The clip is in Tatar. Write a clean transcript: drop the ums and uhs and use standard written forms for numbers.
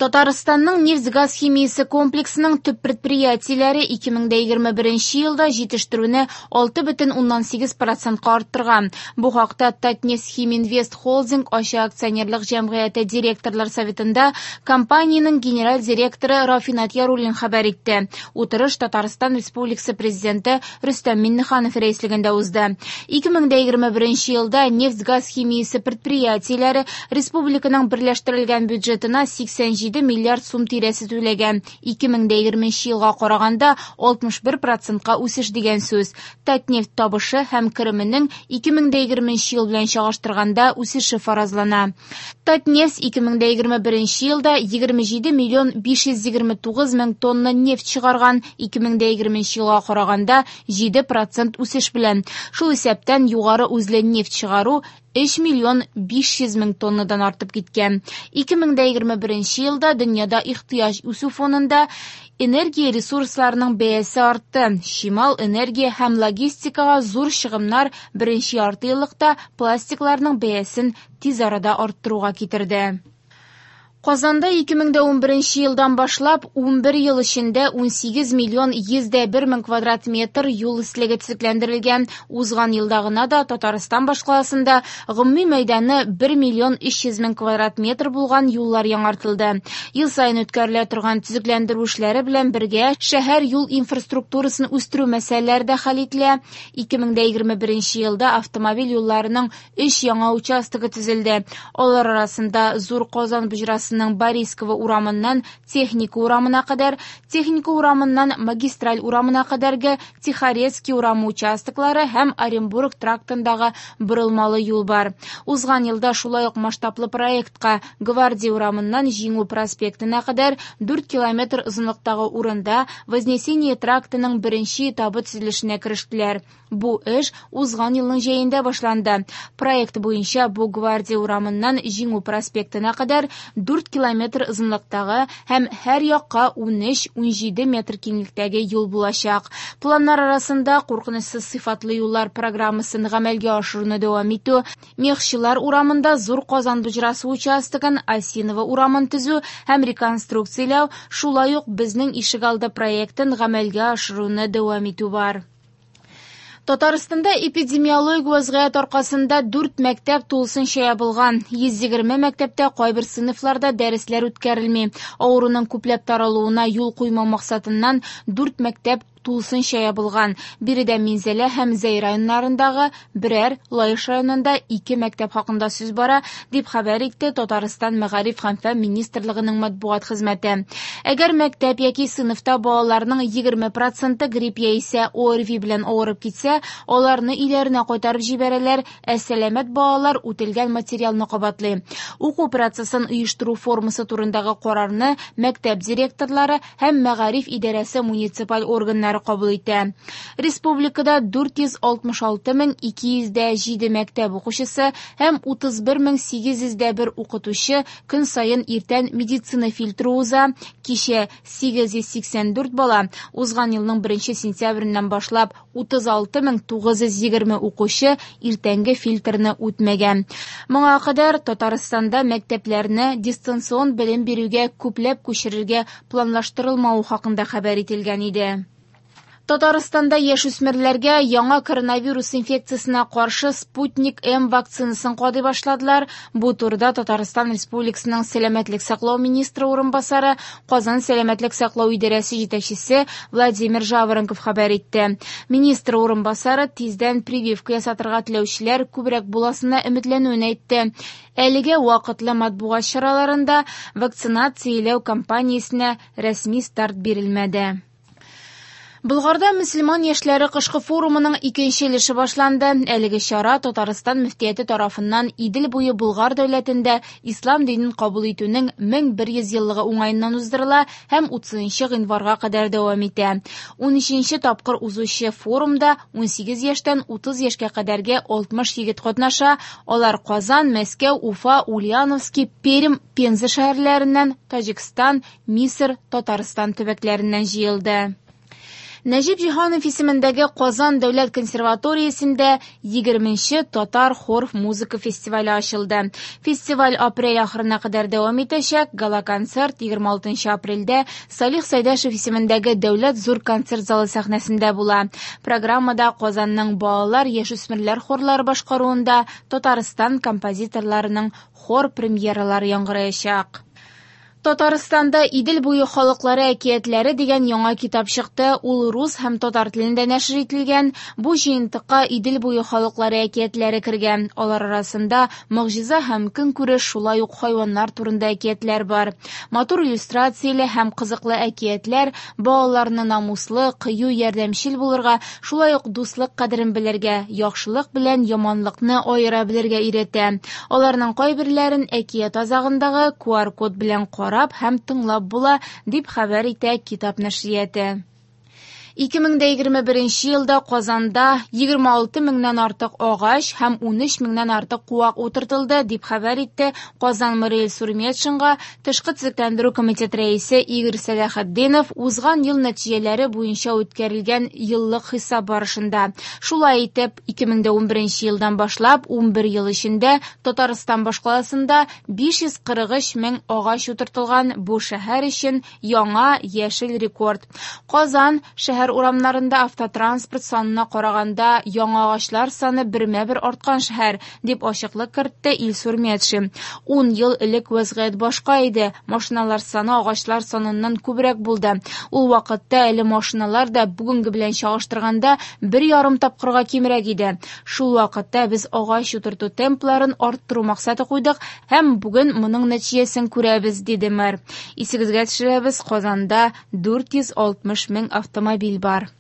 Татарстанның нефть-газ химиясе комплексының төп предприятиеләре 2021 елда җитештерүне 6,8 процентка арттырган. Бу хакта Татнефтьхиминвест Холдинг ачык акционерлык җәмгыяте директорлар советында компаниянең генераль директоры Рафинат Яруллин хәбәр итте. Утырыш Татарстан Республикасы Президенты Рөстәм Миңнеханов рәислегендә узды. 2021 елда нефть-газ химиясе предприятиеләре республиканың берләштерелгән бюджетына 87 миллиард сум тирәсе түләгән. 2020 елга караганда 61 процентка үсеш дигән сүз. Татнефть табышы һәм кеременең 2020 ел белән чагыштырганда үсеше фаразлана. Татнефть 2021 елда 27 миллион 529 мең тонна нефть чыгарган, 2020 елга караганда 7 процент үсеш белән. Шул исәптән югары үзле нефть чыгару 3 миллион 500 мең тоннадан артып киткән. 2021 елда дөньяда ихтыяҗ үсү фонында энергия ресурсларының бәясе артты. Чимал, энергия һәм логистикага зур чыгымнар беренче ярты еллыкта пластикларның бәясен тиз арада арттыруга китерде. Казанда 2011 елдан башлап 11 ел эчендә 18 миллион 101 мең квадрат метр юл өслеге төзекләндерелгән. Узган елда гына да Татарстан башкаласында гомуми мәйданы 1 миллион 300 мең квадрат метр булган юллар яңартылды. Ел саен үткәрелә торган төзекләндерү эшләре белән бергә шәһәр юл инфраструктурасын үстерү мәсьәләләре дә хәл ителә. 2021 елда автомобиль юлларының 3 яңа участогы төзелде. Алар арасында Зур Казан боҗрасының Борисково урамыннан Техника урамына кадәр, Техника урамыннан Магистраль урамына кадәрге Тихорецкий урамы участоклары һәм Оренбург трактындагы борылмалы юл бар. Узган елда шулай ук масштаблы проектка Гвардия урамыннан Җиңү проспектына кадәр 4 километр озынлыктагы урында Вознесение трактының беренче этабы төзелешенә керештеләр. Бу эш узган елның җәендә башланды. Проект буенча бу Гвардия урамыннан Җиңү проспектына кадәр 4 километр озынлыктагы һәм һәр якка 13-17 метр киңлектәге юл булачак. Планнар арасында куркынычсыз сыйфатлы юллар программасын гамәлгә ашыруны дәвам итү, Мехчылар урамында Зур Казан боҗрасы участогын, Осиново урамын төзү һәм реконструкцияләү, шулай ук Безнең ишегалды проектын гамәлгә ашыруны дәвам итү бар. Татарстанда эпидемиологик вазгыять аркасында 4 мәктәп тулысынча ябылган. 120 мәктәптә кайбер сыйныфларда дәресләр үткәрелми. Авыруның күпләп таралуына юл куймау максатыннан 4 мәктәп тулысынча ябылган. Биредә Минзәлә һәм Зәй районнарындагы берәр, Лаеш районында 2 мәктәп хакында сүз бара, дип хәбәр итте Татарстан Мәгариф һәм фән министрлыгының матбугат хезмәте. Әгәр мәктәп яки сыйныфта балаларның 20% грипп яисә ОРВИ белән авырып китсә, аларны өйләренә кайтарып җибәрәләр, ә сәламәт балалар үтелгән материалны кабатлый. Уку процессын оештыру формасы турындагы карарны мәктәп директорлары һәм мәгариф идарәсе муниципаль органнары кабул итә. Республикада 466 207 мәктәп укучысы һәм 31 801 укытучы көн саен иртән медицина фильтры уза. Кичә 884 бала, узган елның 1 сентябреннән башлап 36 920 укучы иртәнге фильтрны үтмәгән. Моңа кадәр Татарстанда мәктәпләрне дистанцион белем бирүгә күпләп күчерергә планлаштырылмавы хакында хәбәр ителгән иде. Татарстанда яшүсмерләргә яңа коронавирус инфекциясенә каршы Спутник М вакцинасын кадый башладылар. Бу турыда Татарстан Республикасының сәламәтлек саклау министры урынбасары, Казан сәламәтлек саклау идарәсе җитәкчесе Владимир Жаворонков хәбәр итте. Министр урынбасары тиздән прививка ясатырга теләүчеләр күбрәк буласына өметләнүен әйтте. Әлегә вакытлы матбугат чараларында вакцинацияләү кампаниясенә рәсми старт бирелмәде. Болгарда мөселман яшьләре кышкы форумының икенче өлеше башланды. Әлеге чара Татарстан мөфтияте тарафыннан Идел буе Болгар дәүләтендә ислам динен кабул итүнең 1100 еллыгы уңаеннан уздырыла һәм 30 гыйнварга кадәр дәвам итә. 13 тапкыр узучы форумда 18 яшьтән 30 яшькә кадәрге 60 егет катнаша. Алар Казан, Мәскәү, Уфа, Ульяновский, Пермь, Пенза шәһәрләреннән, Таҗикстан, Мисыр, Татарстан төбәкләреннән җыелды. Нәҗип Җиһанов исемендәге Казан дәүләт консерваториясендә 20нче татар хор музыка фестивале ачылды. Фестиваль апрель ахырына кадәр дәвам итәчәк. Гала-концерт 26 апрельдә Салих Сәйдәшев исемендәге Дәүләт зур концерт залы сәхнәсендә була. Программада Казанның балалар, яшүсмерләр хорлары башкаруында Татарстан композиторларының хор премьералары яңгыраячак. Татарстанда Идел буе халыклары әкиятләре дигән яңа китап чыкты. Ул рус һәм татар телендә нәшер ителгән. Бу җыентыкка Идел буе халыклары әкиятләре кергән. Алар арасында могҗиза һәм көнкүреш, шулай ук хайваннар турында әкиятләр бар. Матур иллюстрацияле һәм кызыклы әкиятләр балаларны намуслы, кыю, ярдәмчел булырга, шулай ук дуслык кадерен белергә, яхшылык белән яманлыкны аера белергә өйрәтә. Аларның кайберләрен әкият азагындагы QR-код белән карап һәм тыңлап була, дип хәбәр итә китап нәшрияты. 2021 елда Казанда 26 меңнән артык агач һәм 13 меңнән артык куак утыртылды, дип хәбәр итте Казан мэры Илсур Метшинга Тышкы төзекләндерү комитеты рәисе Игорь Сәләхетдинов узган ел нәтиҗәләре буенча үткәрелгән еллык хисап барышында. Шулай итеп, 2011 елдан башлап 11 ел эчендә Татарстан башкаласында 543 мең агач утыртылган, бу шәһәр өчен яңа яшел рекорд. Казан шәһәр урамнарында автотранспорт санына караганда яңа агачлар саны бермә-бер арткан шәһәр, дип ачыклык кертте Илсур Метшин. 10 ел элек вәзгыять башка иде. Машиналар саны агачлар саныннан күбрәк булды. Ул вакытта әле машиналар да бүгенге белән чагыштырганда 1,5 тапкырга кимрәк иде. Шул вакытта без агач утырту темпларын арттыру максаты куйдык һәм бүген моның нәтиҗәсен күрәбез, диде мэр. Исегезгә төшерәбез, Казанда 460 мең автомобиль бар.